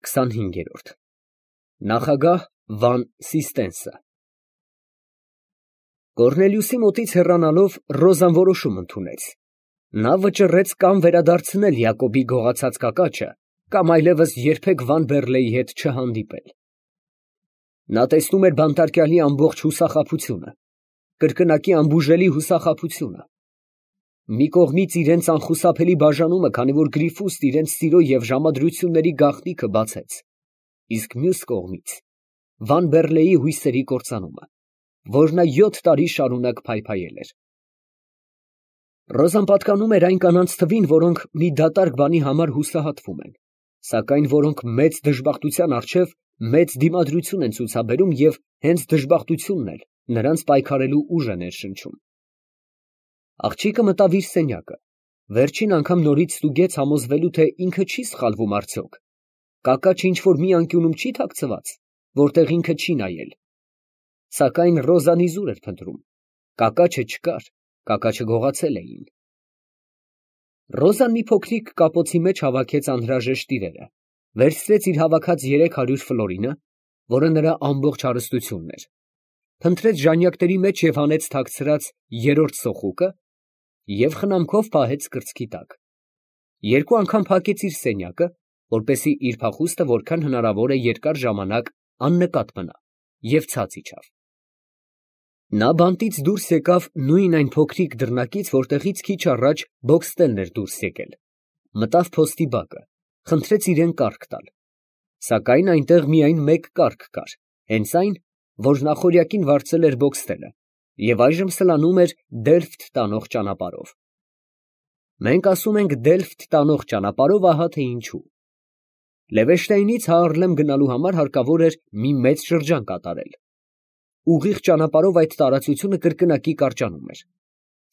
25-րդ Նախագահ Վան Սիստենսը Կոռնելիուսի մոտից հեռանալով Ռոզան որոշում ընդունեց. նա վճռեց կամ վերադարձնել Յակոբի գողացած կակաչը, կամ այլևս երբեք Վան Բեռլեի հետ չհանդիպել։ Նա տեսնում էր բանտարկյալի ամբողջ հուսախաբությունը, կրկնակի անբուժելի հուսախաբությունը։ Մի կողմից իրենց անխուսափելի բաժանումը, քանի որ Գրիֆուստ իրենց սիրո և ժամադրությունների գաղտնիքը բացեց, իսկ մյուս կողմից Վան Բեռլեի հույսերի կործանումը, որ նա 7 տարի շարունակ փայփայել էր։ Ռոզան պատկանում էր այն կանանց թվին, որոնք մի դատարկ բանի համար հուսահատվում են, սակայն որոնք մեծ դժբախտության առջև մեծ դիմադրություն են ցուցաբերում և հենց դժբախտությունն էլ նրանց պայքարելու ուժ է ներշնչում։ Աղջիկը մտավ իր սենյակը, վերջին անգամ նորից ստուգեց համոզվելու, թե ինքը չի սխալվում արդյոք, կակաչը ինչ-որ մի անկյունում չի թաքցված, որտեղ ինքը չի նայել։ Սակայն Ռոզան իզուր էր փնտրում, կակաչը չկար, կակաչը գողացել էին։ Ռոզան մի փոքրիկ կապոցի մեջ հավաքեց անհրաժեշտ իրերը, վերցրեց իր հավաքած 300 ֆլորինը, որը նրա ամբողջ հարստությունն էր, փնտրեց ժանյակների մեջ և հանեց թաքցրած երրորդ սոխուկը և խնամքով պահեց կրծքի տակ։ Երկու անգամ փակեց իր սենյակը, որպեսզի իր փախուստը որքան հնարավոր է երկար ժամանակ աննկատ մնա, և ցած իջավ։ Նա բանտից դուրս եկավ նույն այն փոքրիկ դռնակից, որտեղից քիչ առաջ Բոքստելն էր դուրս եկել, մտավ փոստի բակը, խնդրեց իրան կառք տալ, սակայն այնտեղ միայն մեկ կառք կար, հենց այն, որ նախօրյակին վարձել էր Բոքստելը, և այժմ սլանում էր Դելֆտ տանող ճանապարհով։ Մենք ասում ենք Դելֆտ տանող ճանապարհով, ահա թե ինչու։ Լևեշտայնից Հաառլեմ գնալու համար հարկավոր էր մի մեծ շրջան կատարել։ Ուղիղ ճանապարհով այդ տարածությունը կրկնակի կարճանում էր,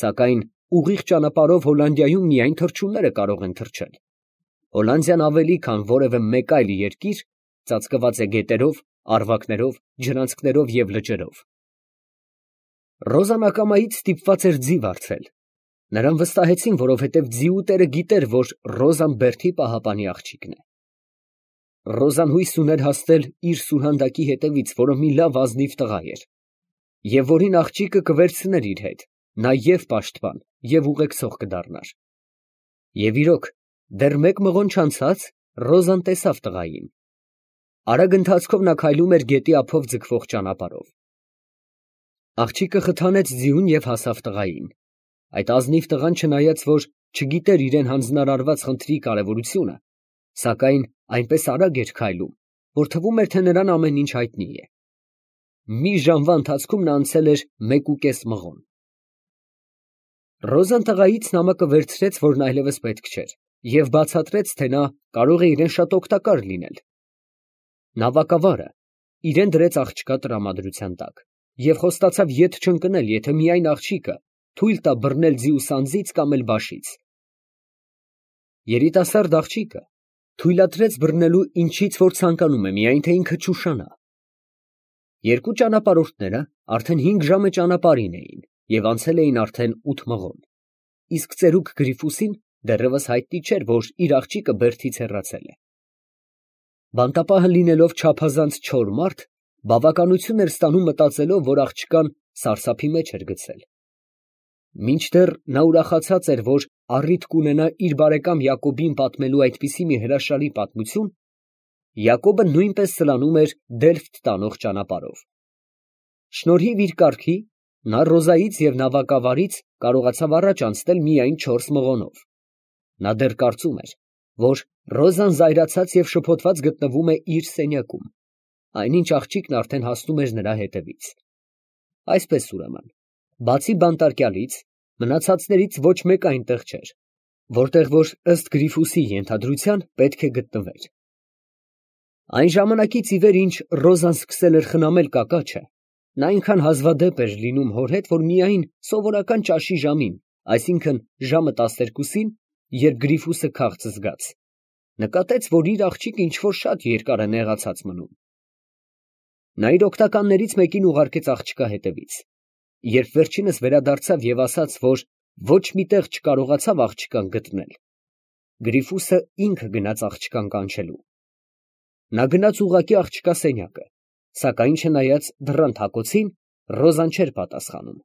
սակայն ուղիղ ճանապարհով Հոլանդիայում միայն թռչունները կարող են թռչել։ Հոլանդիան ավելի քան որևէ մեկ այլ երկիր ծածկված է գետերով, առվակներով, ջրանցքներով և լճերով։ Ռոզան ակամայից ստիպված էր ձի վարձել։ Նրան վստահեցին, որովհետև ձիու տերը գիտեր, որ Ռոզան Բերթի պահապանի աղջիկն է։ Ռոզան հույս ուներ հասնել իր սուրհանդակի հետևից, որը մի լավ ազնիվ տղա էր, և որին աղջիկը կվերցներ իր հետ, նա և պաշտպան, և ուղեկցող կդառնար։ Եվ իրոք, դեռ մեկ մղոն չանցած Ռոզան տեսավ տղային։ Արագ ընթացքով նա քայլում էր գետի ափով ձգվող ճանապարհով։ Աղջիկը խթանեց ձիուն և հասավ տղային։ Այդ ազնիվ տղան, չնայած որ չգիտեր իրան հանձնարարված խնդրի կարևորությունը, սակայն այնպես արագ էր քայլում, որ թվում էր, թե նրան ամեն ինչ հայտնի է։ Մի ժամվա ընթացքում նա անցել էր 1.5 մղոն։ Ռոզան տղայից նամակը վերցրեց, որն այլևս պետք չէր, և բացատրեց, թե նա կարող է իրան շատ օգտակար լինել։ Նավակավարը իրան դրեց աղջկա տրամադրության տակ և խոստացավ ետ չընկնել, եթե միայն աղջիկը թույլ տա բռնել ձիու սանձից կամ էլ բաշից։ Երիտասարդ աղջիկը թույլատրեց բռնելու ինչից որ ցանկանում է, միայն թե ինքը չուշանա։ Երկու ճանապարհորդները արդեն 5 ժամը ճանապարհին էին և անցել էին արդեն 8 մղոն, իսկ ծերուկ Գրիֆուսին դեռևս հայտնի չէր, որ իր աղջիկը Բերթից հեռացել է։ Բանտապահը լինելով չափազանց չոր մարդ, բավականություն էր ստանում մտածելով, որ աղջկան սարսափի մեջ էր գցել։ Մինչդեռ նա ուրախացած էր, որ առիթ կունենա իր բարեկամ Յակոբին պատմելու այդպիսի մի հրաշալի պատմություն, Յակոբը նույնպես սլանում էր Դելֆտ տանող ճանապարհով։ Շնորհիվ իր կառքի, նա Ռոզայից և նավակավարից կարողացավ առաջ անցնել միայն 4 մղոնով։ Նա դեռ կարծում էր, որ Ռոզան զայրացած և շփոթված գտնվում է իր սենյակում, այնինչ աղջիկն արդեն հասնում էր նրա հետևից։ Այսպես ուրեմն, բացի բանտարկյալից, մնացածներից ոչ մեկ այնտեղ չէր, որտեղ որ ըստ Գրիֆուսի ենթադրության պետք է գտնվեր։ Այն ժամանակից ի վեր, ինչ Ռոզան սկսել էր խնամել կակաչը, նա այնքան հազվադեպ էր լինում հոր հետ, որ միայն սովորական ճաշի ժամին, այսինքն ժամը 12-ին, երբ Գրիֆուսը քաղց զգաց, նկատեց, որ իր աղջիկը ինչ֊որ շատ երկար է նեղացած մնում։ Նա իր օգնականներից մեկին ուղարկեց աղջկա հետևից։ Երբ վերջինս վերադարձավ և ասաց, որ ոչ մի տեղ չկարողացավ աղջկան գտնել, Գրիֆուսը ինքը գնաց աղջկան կանչելու։ Նա գնաց ուղղակի աղջկա սենյակը, սակայն չնայած դռան թակոցին, Ռոզան չէր պատասխանում։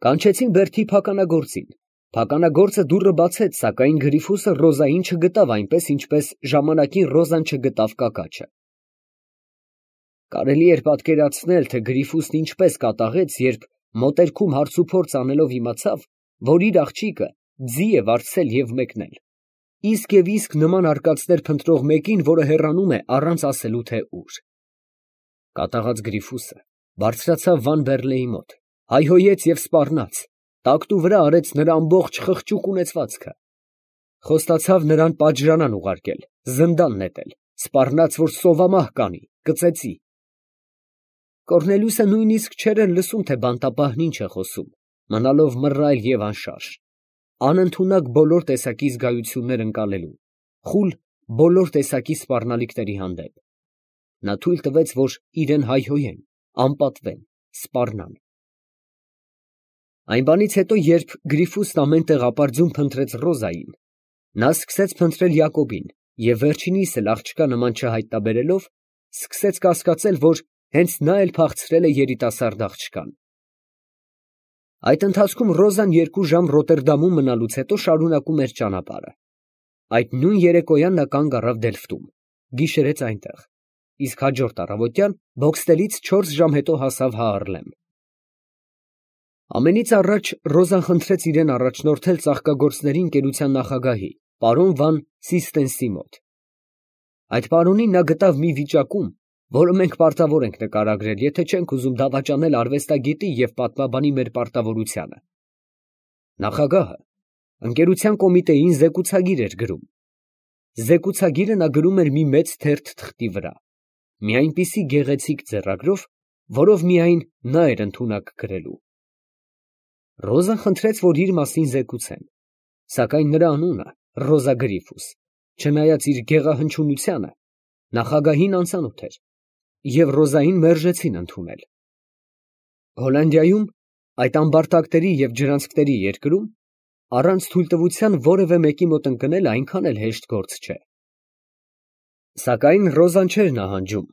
Կանչեցին Բերթի փականագործին։ Փականագործը դուռը բացեց, սակայն Գրիֆուսը Ռոզային չգտավ այնպես, ինչպես ժամանակին Ռոզան չգտավ կակաչը։ Կարելի էր պատկերացնել, թե Գրիֆուսն ինչպես կատաղեց, երբ մոտերքում հարցուփորձ անելով իմացավ, որ իր աղջիկը ձի է վարձել և մեկնել։ Իսկ և իսկ նման արկածներ փնտրող մեկին, որը հեռանում է առանց ասելու, թե ուր։ Կատաղած Գրիֆուսը բարձրացավ Վան Բեռլեի մոտ, հայհոյեց և սպառնաց, տակտու վրա արեց նրա ամբողջ խղճուկ ունեցվածքը։ Խոստացավ նրան պատժրանան ուղարկել, զնդան նետել, սպառնաց, որ սովամահ կանի, կծեծի։ Կոռնելիուսը նույնիսկ չէր էլ լսում, թե բանտապահն ինչ է խոսում, մնալով մռայլ և անշարժ, անընդունակ բոլոր տեսակի զգայություններ ընկալելու, խուլ բոլոր տեսակի սպառնալիքների հանդեպ։ Նա թույլ տվեց, որ իրեն հայհոյեն, անպատվեն, սպառնան։ Այն բանից հետո, երբ Գրիֆուսն ամեն տեղ ապարդյուն փնտրեց Ռոզային, նա սկսեց փնտրել Յակոբին և վերջինիս էլ աղջկա նման չհայտնաբերելով, սկսեց կասկածել, որ հենց նա էլ փախցրել է երիտասարդ աղջկան։ Այդ ընթացքում Ռոզան 2 ժամ Ռոտերդամում մնալուց հետո շարունակում էր ճանապարհը։ Այդ նույն երեկոյան նա կանգ առավ Դելֆտում, գիշերեց այնտեղ, իսկ հաջորդ առավոտյան Բոքստելից 4 ժամ հետո հասավ Հաառլեմ։ Ամենից առաջ Ռոզան խնդրեց իրեն առաջնորդել ծաղկագործների ընկերության նախագահի, պարոն Վան Սիստենսի մոտ։ Այդ պարոնին նա գտավ մի վիճակում, որը մենք պարտավոր ենք նկարագրել, եթե չենք ուզում դավաճանել արվեստագետի և պատմաբանի մեր պարտավորությանը։ Նախագահը ընկերության կոմիտեին զեկուցագիր էր գրում։ Զեկուցագիրը նա գրում էր մի մեծ թերթ թղթի վրա, մի այնպիսի գեղեցիկ ձեռագրով, որով միայն նա էր ընդունակ գրելու։ Ռոզան խնդրեց, որ իր մասին զեկուցեն, սակայն նրա անունը Ռոզա Գրիֆուս, չնայած իր գեղահնչյունությանը, նախագահին անծանոթ էր, և Ռոզային մերժեցին ընդունել։ Հոլանդիայում, այդ ամբարտակների և ջրանցքների երկրում, առանց թույլտվության որևէ մեկի մոտ ընկնել այնքան էլ հեշտ գործ չէ։ Սակայն Ռոզան չէր նահանջում,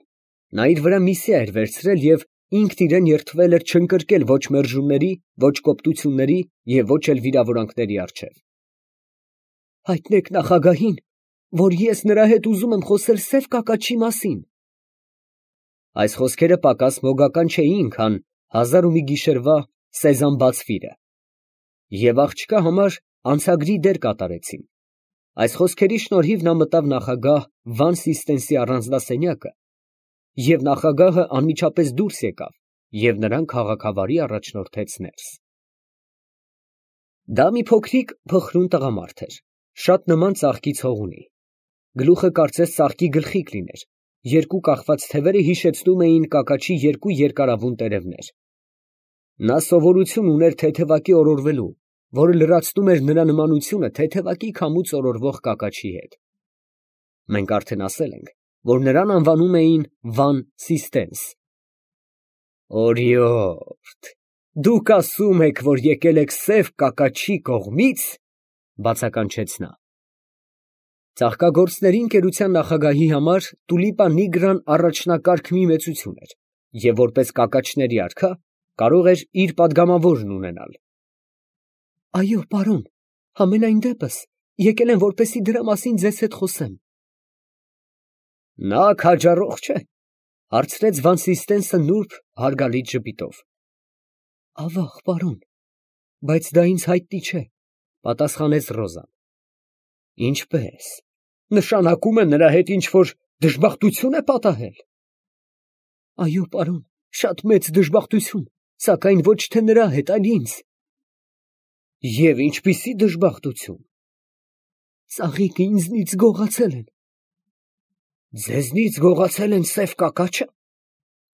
նա իր վրա միսիա էր վերցրել և ինքն իրեն երդվել էր չընկրկել ոչ մերժումների, ոչ կոպտությունների և ոչ էլ վիրավորանքների առջև։ Հայտնեք նախագահին, որ ես նրա հետ ուզում եմ խոսել սև կակաչի մասին։ Այս խոսքերը պակաս մոգական չէին, քան 1001 գիշերվա Սեզամ բացվիրը, և աղջկա համար անցագրի դեր կատարեցին։ Այս խոսքերի շնորհիվ նա մտավ նախագահ Վան Սիստենսի առանձնասենյակը, և նախագահը անմիջապես դուրս եկավ և նրան քաղաքավարի առաջնորդեց ներս։ Դա մի փոքրիկ փխրուն տղամարդ էր, շատ նման ծաղկի ցողունի, գլուխը կարծես ծաղկի գլխիկ լիներ, երկու կախված թևերը հիշեցնում էին կակաչի երկու երկարավուն տերևներ։ Նա սովորություն ուներ թեթևակի օրորվելու, որը լրացնում էր նրա նմանությունը թեթևակի քամուց օրորվող կակաչի հետ։ Մենք արդեն ասել ենք, որ նրան անվանում էին Վան Սիստենս։ Օրիորդ, դուք ասում եք, որ եկել եք սև կակաչի կողմից, բացականչեց նա։ Ծաղկագործների ընկերության նախագահի համար Տուլիպա Նիգրան առաջնակարգ մի մեծություն էր, և որպես կակաչների արքա կարող էր իր պատգամավորն ունենալ։ Այո, պարոն, համենայն դեպս եկել եմ, որպեսզի դրա մասին ձեզ հետ խոսեմ։ Նա քաջառող չէ, հարցրեց Վան Սիստենսը նուրբ հարգալից ժպիտով։ Ավաղ, պարոն, բայց դա ինձ հայտնի չէ, պատասխանեց Ռոզան։ Ինչպե՞ս, նշանակում է նրա հետ ինչ-որ դժբախտություն է պատահել։ Այո, պարոն, շատ մեծ դժբախտություն, սակայն ոչ թե նրա հետ, այլ ինձ։ Եվ ինչպիսի դժբախտություն։ Ծաղիկը ինձնից գողացել են։ Ձեզնից գողացել են սև կակաչը։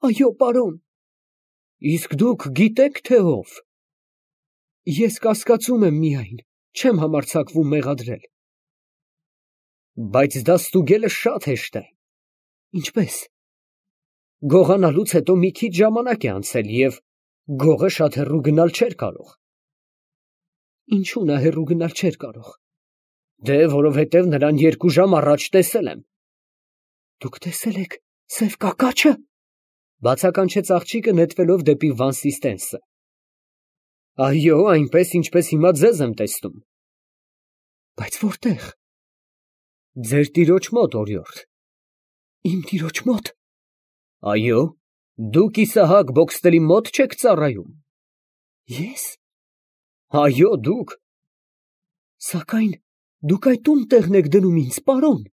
Այո, պարոն։ Իսկ դուք գիտեք, թե ով։ Ես կասկածում եմ միայն, չեմ համարձակվում մեղադրել։ Բայց դա ստուգելը շատ հեշտ է։ Ինչպես։ Գողանալուց հետո մի քիչ ժամանակ է անցել, և գողը շատ հեռու գնալ չէր կարող։ Ինչու նա հեռու գնալ չէր կարող։ Դե, որովհետև նրան 2 ժամ առաջ տեսել եմ։ Դուք տեսել եք սև կակաչը։ Բացականչեց աղջիկը նետվելով դեպի Վանսիստենսը։ Այո, այնպես ինչպես հիմա ձեզ եմ տեսնում։ Բայց որտեղ։ Ձեր տիրոջ մոտ, օրիորդ։ Իմ տիրոջ մոտ։ Այո, դուք Իսահակ Բոքստելի մոտ չեք ծառայում։ Ես։ Այո, դուք։ Սակայն դուք այդ ում տեղն եք դնում ինձ, պարոն։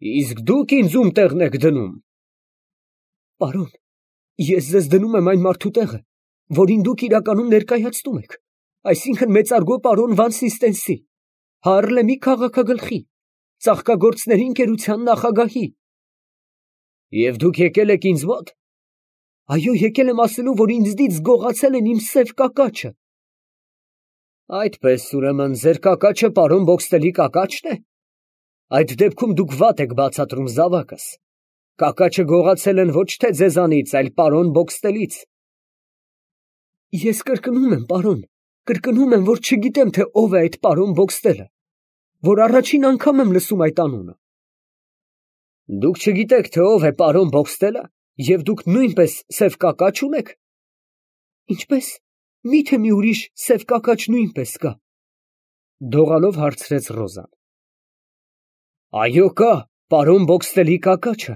Իսկ դուք ինձ ում տեղն եք դնում։ Պարոն, ես ձեզ դնում եմ այն մարդու տեղը, որին դուք իրականում ներկայացնում եք, այսինքն մեծարգո պարոն Վանսիստենսի, Հարլեմի քաղաքագլխի, ծաղկագործների ընկերության նախագահի։ Եվ դուք եկել եք ինձ մոտ։ Այո, եկել եմ ասելու, որ ինձնից գողացել են իմ սև կակաչը։ Այդպես, ուրեմն, ձեր կակաչը պարոն Բոքստելի կակաչն է։ Այդ դեպքում դուք վատ եք բացատրում, զավակս։ Կակաչը գողացել են ոչ թե ձեզանից, այլ պարոն Բոքստելից։ Ես կրկնում եմ, պարոն, կրկնում եմ, որ չգիտեմ, թե ով է այդ պարոն Բոքստելը, որ առաջին անգամ եմ լսում այդ անունը։ Դուք չգիտեք, թե ով է պարոն Բոքստելը, և դուք նույնպես սև կակաչ ունեք։ Ինչպես, միթե մի ուրիշ սև կակաչ նույնպես կա։ Դողալով հարցրեց Ռոզան։ Այո, կա, պարոն Բոքստելի կակաչը։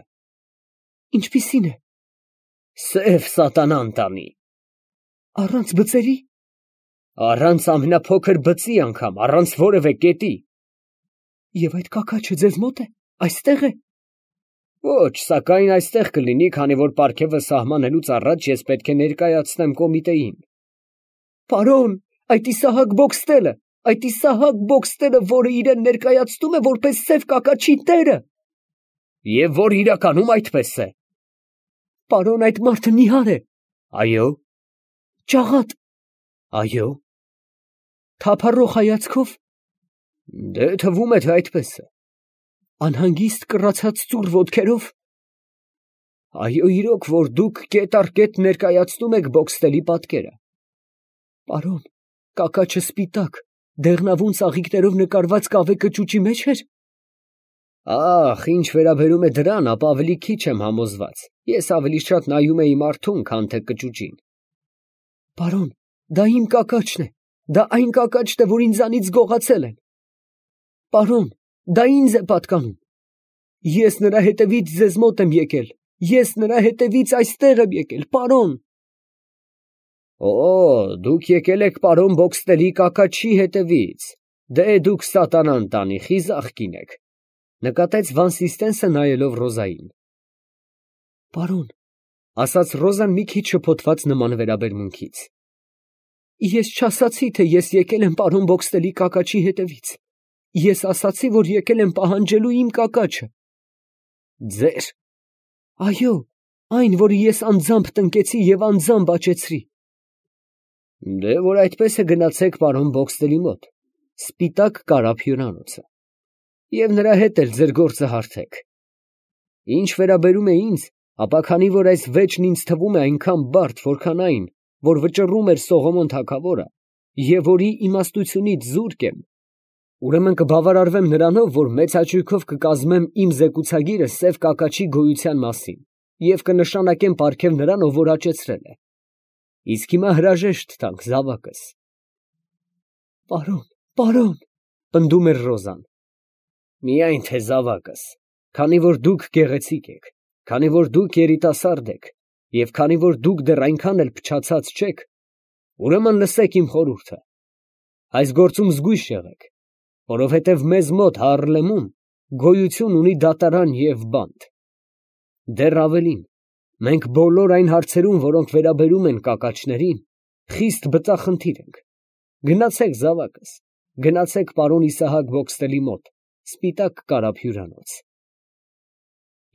Ինչպիսին է։ Սև սատանան տանի։ Առանց բծերի։ Առանց ամենափոքր բծի անգամ, առանց որևէ կետի։ Եվ այդ կակաչը ձեզ մոտ է, այստեղ է։ Ոչ, սակայն այստեղ կլինի, քանի որ պարգևը սահմանելուց առաջ ես պետք է ներկայացնեմ կոմիտեին։ Պարոն, այդ Իսահակ Բոքստելը, որը իրեն ներկայացնում է որպես սև կակաչի տերը։ Եվ որ իրականում այդպես է։ Պարոն, այդ մարդը նիհար է։ Այո։ Ճաղատ։ Այո։ Թափառող հայացքով։ Դե թվում է, թե այդպես է։ Անհանգիստ կռացած ծուռ ոտքերով։ Այո, իրոք, որ դուք կետ առ կետ ներկայացնում եք Բոքստելի պատկերը։ Պարոն, կակաչը սպիտակ, դեղնավուն ծաղիկներով նկարված կավե կճուճի մեջ էր։ Ախ, ինչ վերաբերում է դրան, ապա ավելի քիչ եմ համոզված։ Ես ավելի շատ նայում էի մարդուն, քան թե կճուճին։ Պարոն, դա իմ կակաչն է, դա այն կակաչն է, որ ինձանից գողացել են։ Պարոն, դա ինձ է պատկանում։ Ես նրա հետևից ձեզ մոտ եմ եկել, ես նրա հետևից այստեղ եմ եկել, պարոն։ Օ, դուք եկել եք պարոն Բոքստելի կակաչի հետևից։ Դե դուք սատանան տանի, խիզախ կին եք, նկատեց Վանսիստենսը նայելով Ռոզային։ Պարոն, ասաց Ռոզան մի քիչ շփոթված նման վերաբերմունքից։ Ես չասացի, թե ես եկել եմ պարոն Բոքստելի կակաչի հետևից։ Ես ասացի, որ եկել եմ պահանջելու իմ կակաչը։ Ձեր։ Այո, այն, որը ես անձամբ տնկեցի և անձամբ աճեցրի։ Դե որ այդպես է, գնացեք պարոն Բոքստելի մոտ, սպիտակ կարապ հյուրանոցը, և նրա հետ էլ ձեր գործը հարթեք։ Ինչ վերաբերում է ինձ, ապա քանի որ այս վեճն ինձ թվում է այնքան բարդ, որքան այն, որ վճռում էր Սողոմոն թագավորը, և որի իմաստությունից զուրկ եմ, ուրեմն կբավարարվեմ նրանով, որ մեծ հաճույքով կկազմեմ իմ զեկուցագիրը սև կակաչի գոյության մասին և կնշանակեմ պարգև նրան, ով որ աճեցրել է։ Իսկ հիմա հրաժեշտ տանք, զավակս։ Պարոն, պնդում էր Ռոզան։ Միայն թե զավակս, քանի որ դուք գեղեցիկ եք, քանի որ դուք երիտասարդ եք, և քանի որ դուք դեռ այնքան էլ փչացած չեք, ուրեմն լսեք իմ խորհուրդը։ Այս գործում զգույշ եղեք, որովհետև մեզ մոտ Հարլեմում գոյություն ունի դատարան և բանտ։ Դեռ ավելին, մենք բոլոր այն հարցերում, որոնք վերաբերում են կակաչներին, խիստ բծախնդիր ենք։ Գնացեք, զավակս, գնացեք պարոն Իսահակ Բոքստելի մոտ, սպիտակ կարապ հյուրանոց։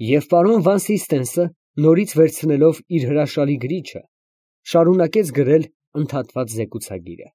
Եվ պարոն Վանսիստենսը, նորից վերցնելով իր հրաշալի գրիչը, շարունակեց գրել ընդհատված զեկուցագիրը։